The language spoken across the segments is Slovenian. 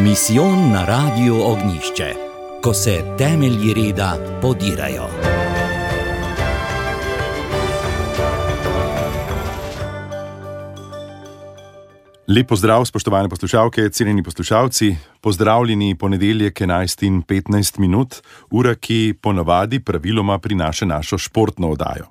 Misijon na Radiu Ognjišče, ko se temelji reda podirajo. Lep pozdrav, spoštovane poslušalke, cenjeni poslušalci. Pozdravljeni ponedeljek 11:15, ura, ki ponavadi praviloma prinaša našo športno oddajo.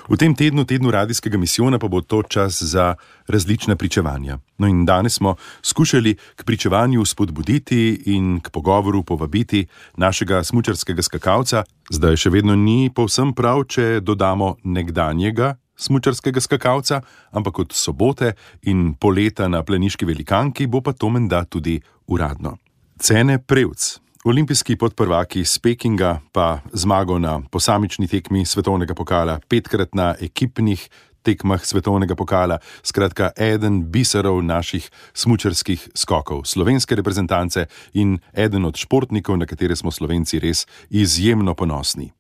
V tem tednu radijskega misijona pa bo to čas za različna pričevanja. No in danes smo skušali k pričevanju spodbuditi in k pogovoru povabiti našega smučarskega skakalca. Zdaj še vedno ni povsem prav, če dodamo nekdanjega smučarskega skakalca, ampak od sobote in poleta na planiški velikanki bo pa to menda tudi uradno. Cene Prevc, olimpijski podprvaki iz Pekinga, pa zmago na posamični tekmi svetovnega pokala, 5krat na ekipnih tekmah svetovnega pokala, skratka eden biserov naših smučarskih skokov, slovenske reprezentance in eden od športnikov, na katere smo Slovenci res izjemno ponosni.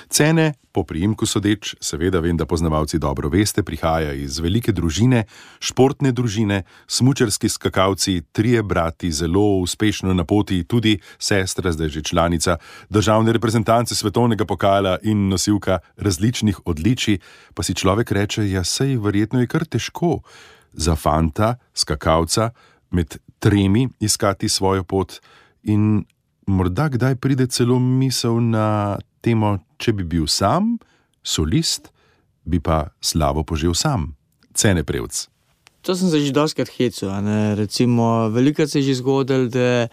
Cene, po priimku sodeč, seveda vem, da poznavalci dobro veste, prihaja iz velike družine, športne družine, smučarski skakalci, 3 brati, zelo uspešno na poti, tudi sestra, zdaj že članica državne reprezentance svetovnega pokala in nosilka različnih odličij, pa si človek reče, ja sej verjetno je kar težko za fanta, skakalca, med 3 iskati svojo pot in morda kdaj pride celo misel na temo, če bi bil sam, solist, bi pa slavo požel sam. Cene Prevc. To sem se že dostikrat hecal, recimo, velikokrat se je že zgodilo, da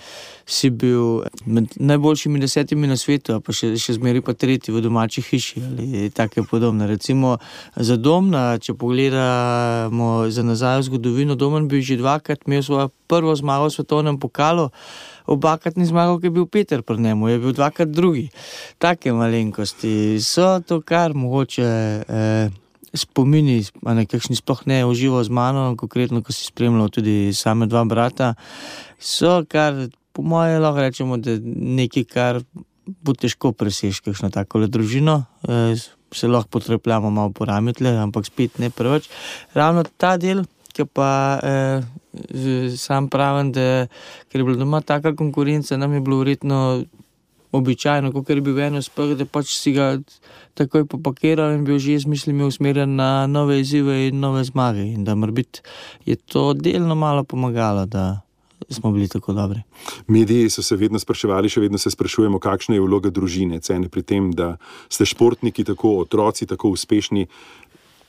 si bil med najboljšimi 10 na svetu, pa še zmeri pa 3 v domači hiši ali take podobne. Recimo za Domna, če pogledamo za nazaj v zgodovino, Domen bi že 2krat imel svojo prvo zmago v svetovnem pokalu, obakrat ni zmagal, ki je bil Peter pri njemu, je bil 2krat drugi. Take malenkosti so to, kar mogoče spomini, kakšni sploh ne užival z mano, konkretno, ko si spremljal tudi same 2 brata, so kar, po moje lahko rečemo, da nekaj, kar bo težko preseči kakšno takole družino, se lahko potrepljamo malo po ramitle, ampak spet ne preveč. Ravno ta del, ki pa sam pravim, da ker je bila doma taka konkurenca, nam je bilo verjetno običajno, kakor je bil eno speh, da pač si ga takoj popakiral in bil že z mislimi usmerjen na nove izzive in nove zmage. In da morbiti je to delno malo pomagalo, da smo bili tako dobri. Mediji so se vedno spraševali, še vedno se sprašujemo, kakšna je vloga družine, cene pri tem, da ste športniki tako, otroci tako uspešni.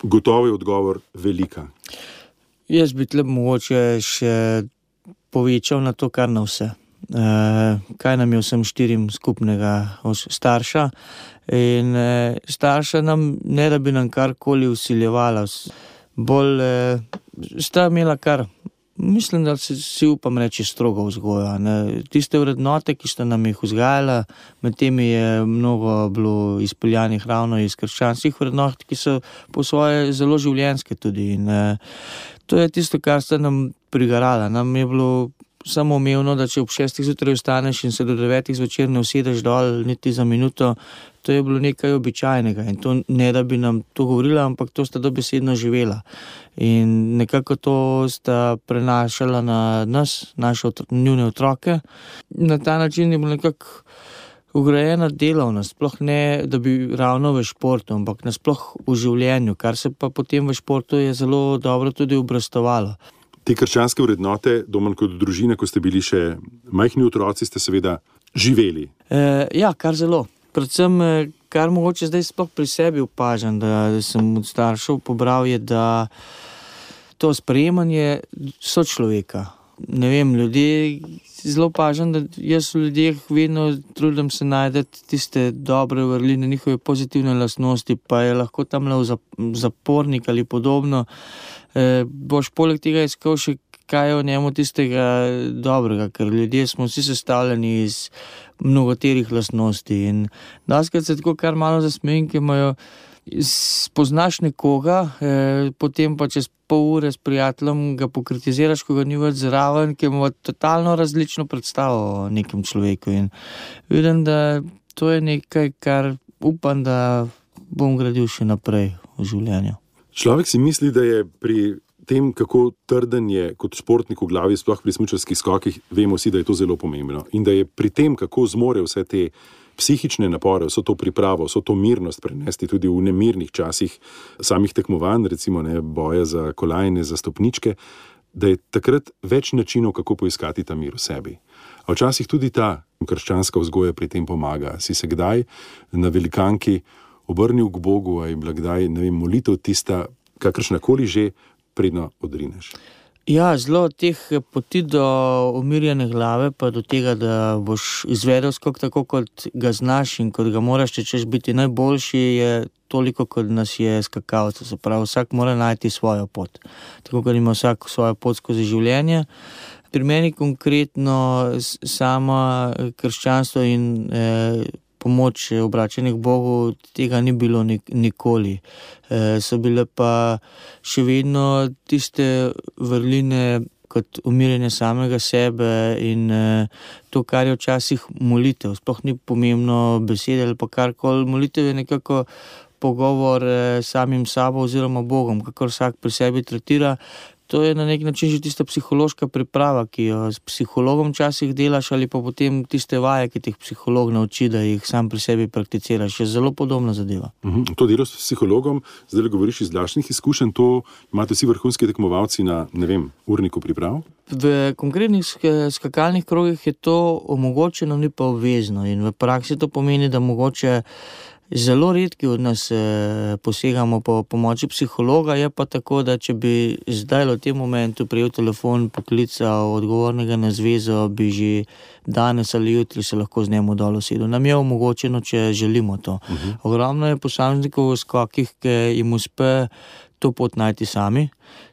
Gotovo je odgovor velika. Jaz bi tle mogoče še povečal na to, kar na vse. Kaj nam je vsem 4 skupnega starša in starša nam ne da bi nam karkoli vsiljevala, bolj sta imela kar, mislim, da si upam reči strogo vzgojo, tiste vrednote, ki sta nam jih vzgajala, med temi je mnogo bilo izpeljanih ravno iz krščanskih vrednot, ki so po svoje zelo življenjske tudi in to je tisto, kar sta nam prigarala. Nam je bilo samo umevno, da če ob 6 zjutraj vstaneš in se do 9 zvečer ne usedeš dol niti za minuto, to je bilo nekaj običajnega in to ne da bi nam to govorila, ampak to sta dobesedno živela. In nekako to sta prenašala na nas, njune otroke. Na ta način je bilo nekako ugrajena delavnost, sploh ne, da bi ravno v športu, ampak nasploh v življenju, kar se pa potem v športu je zelo dobro tudi obrastovalo. Te krščanske vrednote, Domen, kot družina, ko ste bili še majhni otroci, ste seveda živeli. Ja, kar zelo. Predvsem, kar mogoče zdaj sploh pri sebi opažam, da sem od staršev pobral, je, da to sprejemanje sočloveka. Ne vem, ljudje, zelo opažam, da jaz v ljudeh vedno trudim se najdeti tiste dobre vrline, njihove pozitivne lastnosti, pa je lahko tam le zapornik ali podobno. Boš poleg tega iskal še kaj je v njemu tistega dobrega, ker ljudje smo vsi sestavljeni iz mnogoterih lastnosti in daskrat se tako kar malo zasmejim, ki imajo, spoznaš nekoga, potem pa čez pol ure s prijateljem ga pokritiziraš, ko ga ni več zraven, ki ima totalno različno predstavo o nekem človeku in vidim, da to je nekaj, kar upam, da bom gradil še naprej v življenju. Človek si misli, da je pri tem, kako trden je kot športnik v glavi, sploh pri smučarskih skokih, vemo vsi, da je to zelo pomembno. In da je pri tem, kako zmore vse te psihične napore, vso to pripravo, vso to mirnost prenesti tudi v nemirnih časih samih tekmovanj, recimo boja za kolajne, za stopničke, da je takrat več načinov, kako poiskati ta mir v sebi. A včasih tudi ta krščanska vzgoja pri tem pomaga. Si se kdaj na velikanki obrnil k Bogu, a je bila kdaj, molitev tista, kakršnakoli že, predno odrineš? Ja, zelo teh poti do umirjene glave, pa do tega, da boš izvedel skok tako, kot ga znaš in kot ga moraš, če češ biti najboljši, je toliko, kot nas je skakalcev. Se pravi, vsak mora najti svojo pot. Tako, kot ima vsak svojo pot skozi življenje. Pri meni konkretno sama krščanstvo in pomoč obračanje k Bogu, tega ni bilo nikoli. So bile pa še vedno tiste vrline kot umirjanje samega sebe in to, kar je včasih molitev. Sploh ni pomembno besede ali pa karkoli. Molitev je nekako pogovor s samim sabo oziroma Bogom, kakor vsak pri sebi tretira. To je na nek način že tista psihološka priprava, ki jo s psihologom včasih delaš, ali pa potem tiste vaje, ki teh psiholog nauči, da jih sam pri sebi prakticiraš. Je zelo podobna zadeva. To delo s psihologom, zdaj govoriš iz lastnih izkušenj, to imate vsi vrhunski tekmovalci na, urniku priprav? V konkretnih skakalnih krogih je to omogočeno, ni pa obvezno. In v praksi to pomeni, da mogoče zelo redki od nas posegamo po pomoči psihologa, je pa tako, da če bi zdaj v tem momentu prijel telefon, poklical odgovornega na zvezo, bi že danes ali jutri se lahko z njemu dol usedel. Nam je omogočeno, če želimo to. Ogromno je posameznikov v skokih, ki jim uspe to pot najti sami.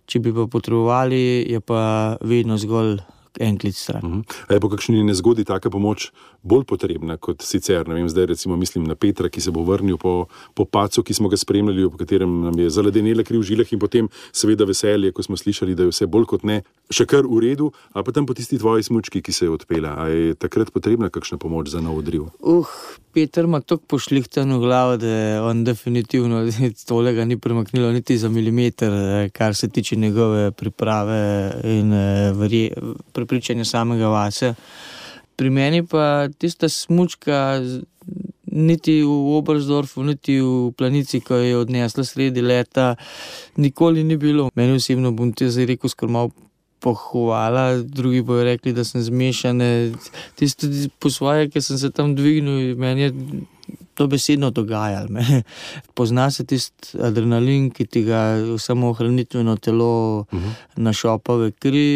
Če bi pa potrebovali, je pa vedno zgolj en klic stran. A je po kakšni nezgodi taka pomoč bolj potrebna kot sicer? Zdaj recimo mislim na Petra, ki se bo vrnil po padcu, ki smo ga spremljali, po katerem nam je zaledenela kri v žilah, in potem seveda veselje, ko smo slišali, da je vse bolj kot ne še kar v redu, a pa tam po tisti tvoji smučki, ki se je odpela. A je takrat potrebna kakšna pomoč za nov odriv? Peter ima toliko pošlihtano glavo, da on definitivno tolega ni premaknilo niti za milimeter, kar se tiče njegove priprave in prepričanja samega vase. Pri meni pa tista smučka niti v Oberstdorfu, niti v Planici, ko je odnesla sredi leta, nikoli ni bilo. Meni osebno, bom te zdaj rekel, skoro malo pohvala, drugi bojo rekli, da sem zmešan. Tisto po svoje, ki sem se tam dvignil, meni je to besedno dogajalo. Pozna se tisti adrenalin, ki ti ga samoohranitveno telo našopa v kri.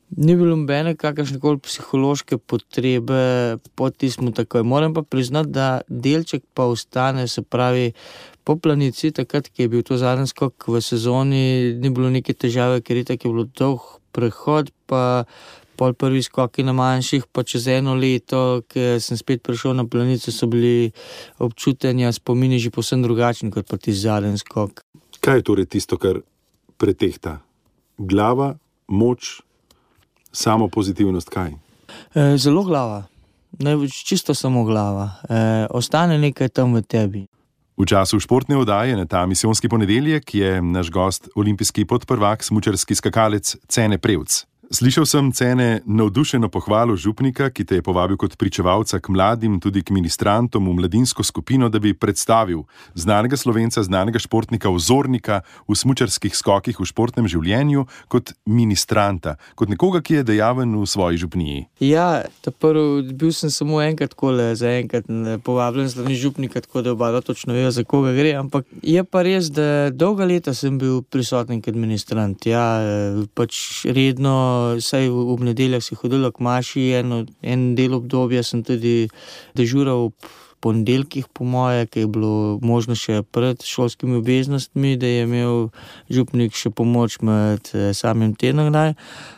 Ni bilo nobene kakršnekoli psihološke potrebe po tistem takoj. Moram pa priznati, da delček pa ostane, se pravi, po Planici, takrat, ki je bil to zadnji skok v sezoni, ni bilo neke težave, ker je bilo dolg prehod, pa pol prvi skoki na manjših, pa čez eno leto, ki sem spet prišel na Planico, so bili občutenja, spomini že povsem drugačni, kot pa tisti zadnji skok. Kaj je torej tisto, kar pretehta? Glava, moč, samo pozitivnost, kaj? Zelo glava. Čisto samo glava. Ostane nekaj tam v tebi. V času športne oddaje na ta misijonski ponedeljek je naš gost olimpijski podprvak, smučarski skakalec Cene Prevc. Slišal sem, Cene, navdušeno pohvalo župnika, ki te je povabil kot pričevalca k mladim, tudi k ministrantom v mladinsko skupino, da bi predstavil znanega Slovenca, znanega športnika, vzornika v smučarskih skokih v športnem življenju kot ministranta, kot nekoga, ki je dejaven v svoji župniji. Ja, bil sem samo enkrat zaenkrat povabljen strani župnika, tako da oba točno vejo, za koga gre, ampak je pa res, da dolga leta sem bil prisoten kot ministrant. Ja, pač redno, saj v nedeljah si hodilo k maši, en del obdobja sem tudi dežural ob ponedeljkih, po moje, ki je bilo možno še pred šolskimi obveznostmi, da je imel župnik še pomoč med samim tednom.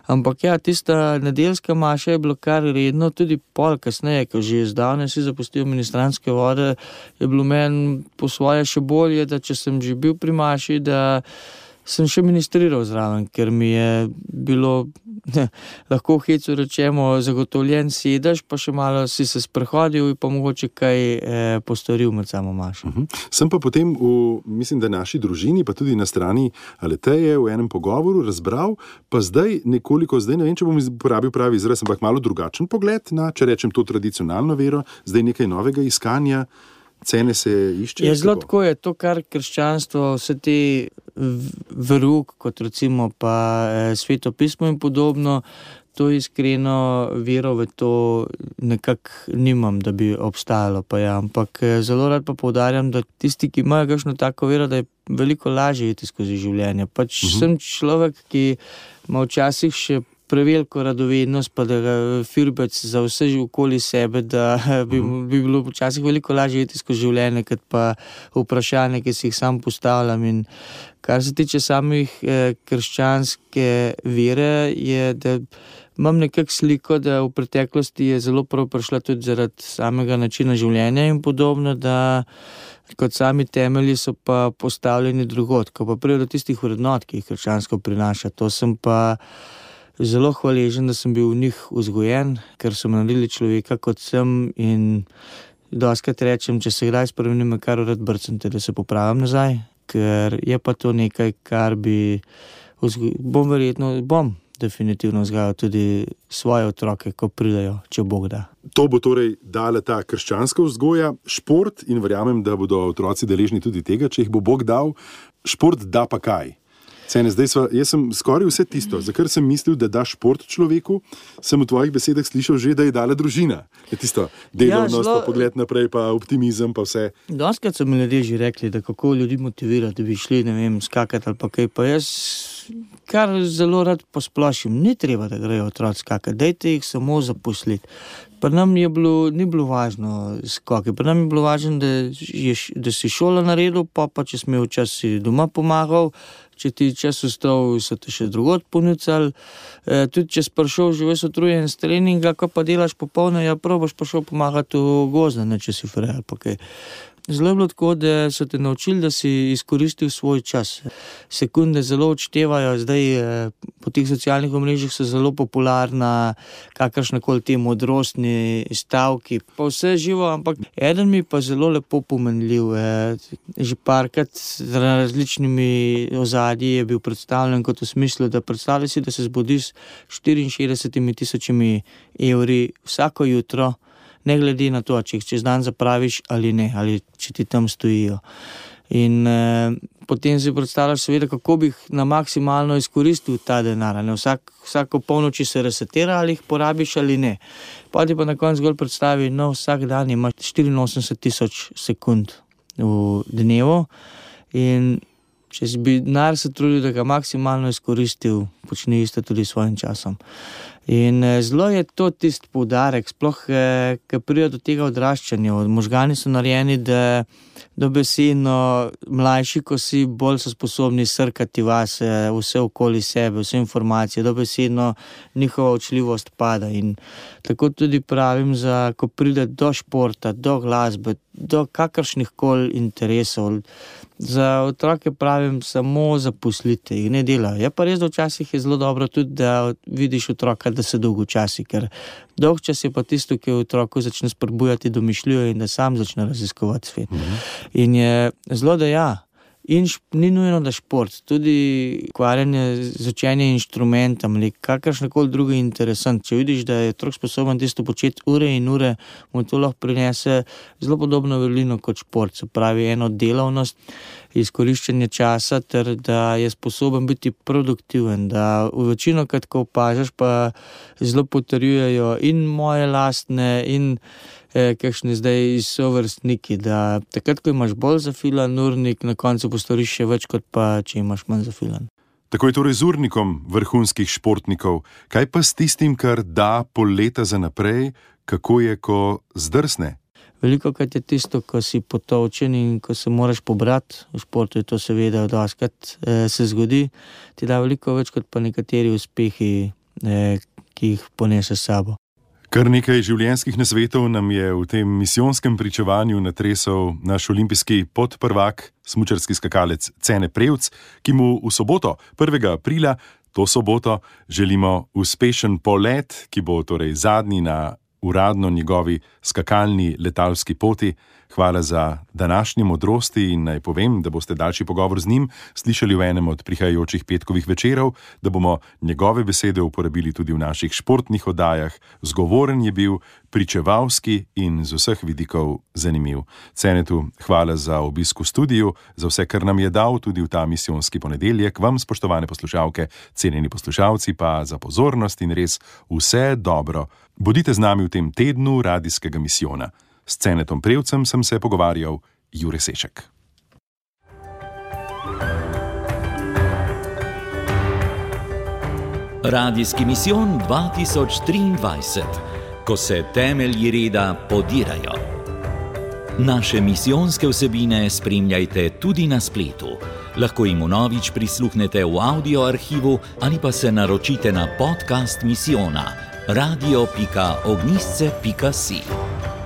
Ampak ja, tista nedeljska maša je bilo kar redno, tudi pol kasneje, ko že zdavnaj si zapustil ministrantske vode, je bilo meni po svoje še bolje, da če sem že bil pri maši, da sem še ministriral zraven, ker mi je bilo, lahko v hecu rečemo, zagotovljen sedež, pa še malo si se sprehodil in pa mogoče kaj postoril med samo mašo. Sem pa potem mislim, da naši družini, pa tudi na strani Aleteje v enem pogovoru razbral, pa zdaj nekoliko, ne vem, če bom uporabil pravi izraz, ampak malo drugačen pogled na, če rečem to tradicionalno vero, zdaj nekaj novega iskanja, cene se išče. Je zelo tako, je to, kar krščanstvo, vse te verouk, kot recimo pa Sveto pismo in podobno, to iskreno vero v to nekako nimam, da bi obstajalo pa ja, ampak zelo rad pa poudarjam, da tisti, ki imajo kakšno tako vero, da je veliko lažje iti skozi življenje. Pač sem človek, ki ima včasih še preveliko radovednost, pa da firbec za vse okoli sebe, da bi bilo včasih veliko lažje iti skozi življenje, kot pa vprašanje, ki si jih sam postavljam. In kar se tiče samih krščanske vere, je, da imam nekako sliko, da v preteklosti je zelo prav prišla tudi zaradi samega načina življenja in podobno, da kot sami temelji so pa postavljeni drugod, ko pa pride do tistih vrednot, ki jih krščansko prinaša. To sem pa zelo hvaležen, da sem bil v njih vzgojen, ker so me naredili človeka, kot sem, in dostikrat rečem, če se kdaj spremenim, kar rad brcem, da se popravim nazaj, ker je pa to nekaj, kar bom definitivno vzgajal tudi svoje otroke, ko pridejo, če Bog da. To bo torej dala ta krščanska vzgoja, šport, in verjamem, da bodo otroci deležni tudi tega, če jih bo Bog dal. Šport da pa kaj? Jaz sem skoraj vse tisto, za kar sem mislil, da da šport človeku, sem v tvojih besedah slišal že, da je dala družina. Je tisto delovnost, pa pogled naprej, pa optimizem, pa vse. Dostikrat so mi ljudje že rekli, da kako ljudi motivirati, da bi šli, ne vem, skakati ali pa kaj, pa jaz kar zelo rad posplošim, ni treba, da grejo otroci skakati, dajte jih samo zaposliti. Pri nam ni bilo važno skoki, pri nam je bilo važno, da si šolo naredil, pa če si imel čas, si doma pomagal, če ti čas ostal, so te še drugod ponucali, tudi če si prišel že ves utrujen s treninga, ko pa delaš popolno, ja probaš pa šel pomagati v gozda, ne če si frej ali pa kaj. Zelo je bilo tako, da so te naučili, da si izkoristil svoj čas. Sekunde zelo odštevajo, zdaj po teh socialnih omrežjih so zelo popularna kakršnakoli te modrostni stavki, pa vse živo, ampak eden mi pa zelo lepo pomenljiv. Že parkrat z različnimi ozadji je bil predstavljen kot v smislu, da predstavlja si, da se zbudiš 64,000 evri vsako jutro, ne glede na to, če jih čez dan zapraviš ali ne, ali če ti tam stojijo. In potem si predstavljaš seveda, kako bi jih na maksimalno izkoristil ta denar. Vsako polnoči se resetira, ali jih porabiš ali ne. Pa ti pa na koncu zgolj predstavi, vsak dan imaš 84,000 sekund v dnevu in če bi denar se trudil, da ga maksimalno izkoristil, počni isto tudi s svojim časom. In zelo je to tisti poudarek, sploh, ko pride do tega odraščanja. Možgani so narejeni, da dobesedno mlajši, ko si, bolj so sposobni srkati vase, vse okoli sebe, vse informacije, dobesedno njihova učljivost pada. In tako tudi pravim, ko pride do športa, do glasbe, do kakršnih koli interesov, za otroke pravim, samo zaposlite jih, ne delajo. Je pa res, da včasih je zelo dobro tudi, da vidiš otroka, da se dolgočasi, ker dolgčas je pa tisto, ki v otroku začne spodbujati domišljijo in da sam začne raziskovati svet. In je zelo, da ja. In ni nujno, da šport, tudi ukvarjanje z učenjem inštrumentom ali kakršnakoli drugi interesant. Če vidiš, da je otrok sposoben tisto početi ure in ure, mu to lahko prinese zelo podobno vrlino kot šport. Se pravi, eno delavnost, izkoriščanje časa, ter da je sposoben biti produktiven. Da v večino, ko opažaš, pa zelo potrjujejo in moje lastne in kakšni zdaj sovrstniki, da takrat, ko imaš bolj zafilan urnik, na koncu postoriš še več, kot pa če imaš manj zafilan. Tako je torej z urnikom vrhunskih športnikov. Kaj pa s tistim, kar da pol leta za naprej, kako je, ko zdrsne? Velikokrat je tisto, ko si potolčen in ko se moraš pobrati, v športu je to seveda dostikrat se zgodi, ti da veliko več kot pa nekateri uspehi, ki jih ponese s sabo. Kar nekaj življenjskih nasvetov nam je v tem misijonskem pričevanju natresel naš olimpijski podprvak, smučarski skakalec Cene Prevc, ki mu v soboto, 1. aprila, to soboto, želimo uspešen polet, ki bo torej zadnji na uradno njegovi skakalni letalski poti. Hvala za današnje modrosti in naj povem, da boste daljši pogovor z njim slišali v enem od prihajajočih petkovih večerov, da bomo njegove besede uporabili tudi v naših športnih oddajah. Zgovoren je bil, pričevalski in z vseh vidikov zanimiv. Cenetu hvala za obisk v studiu, za vse, kar nam je dal tudi v ta misijonski ponedeljek. Vam, spoštovane poslušalke, cenjeni poslušalci, pa za pozornost in res vse dobro. Bodite z nami v tem tednu radijskega misijona. S Cenetom Prevcem sem se pogovarjal Jure Sešek. Radijski misijon 2023, ko se temelji reda podirajo. Naše misijonske vsebine spremljajte tudi na spletu. Lahko jim vnovič prisluhnete v audio arhivu ali pa se naročite na podcast misijona radio.ognisce.si.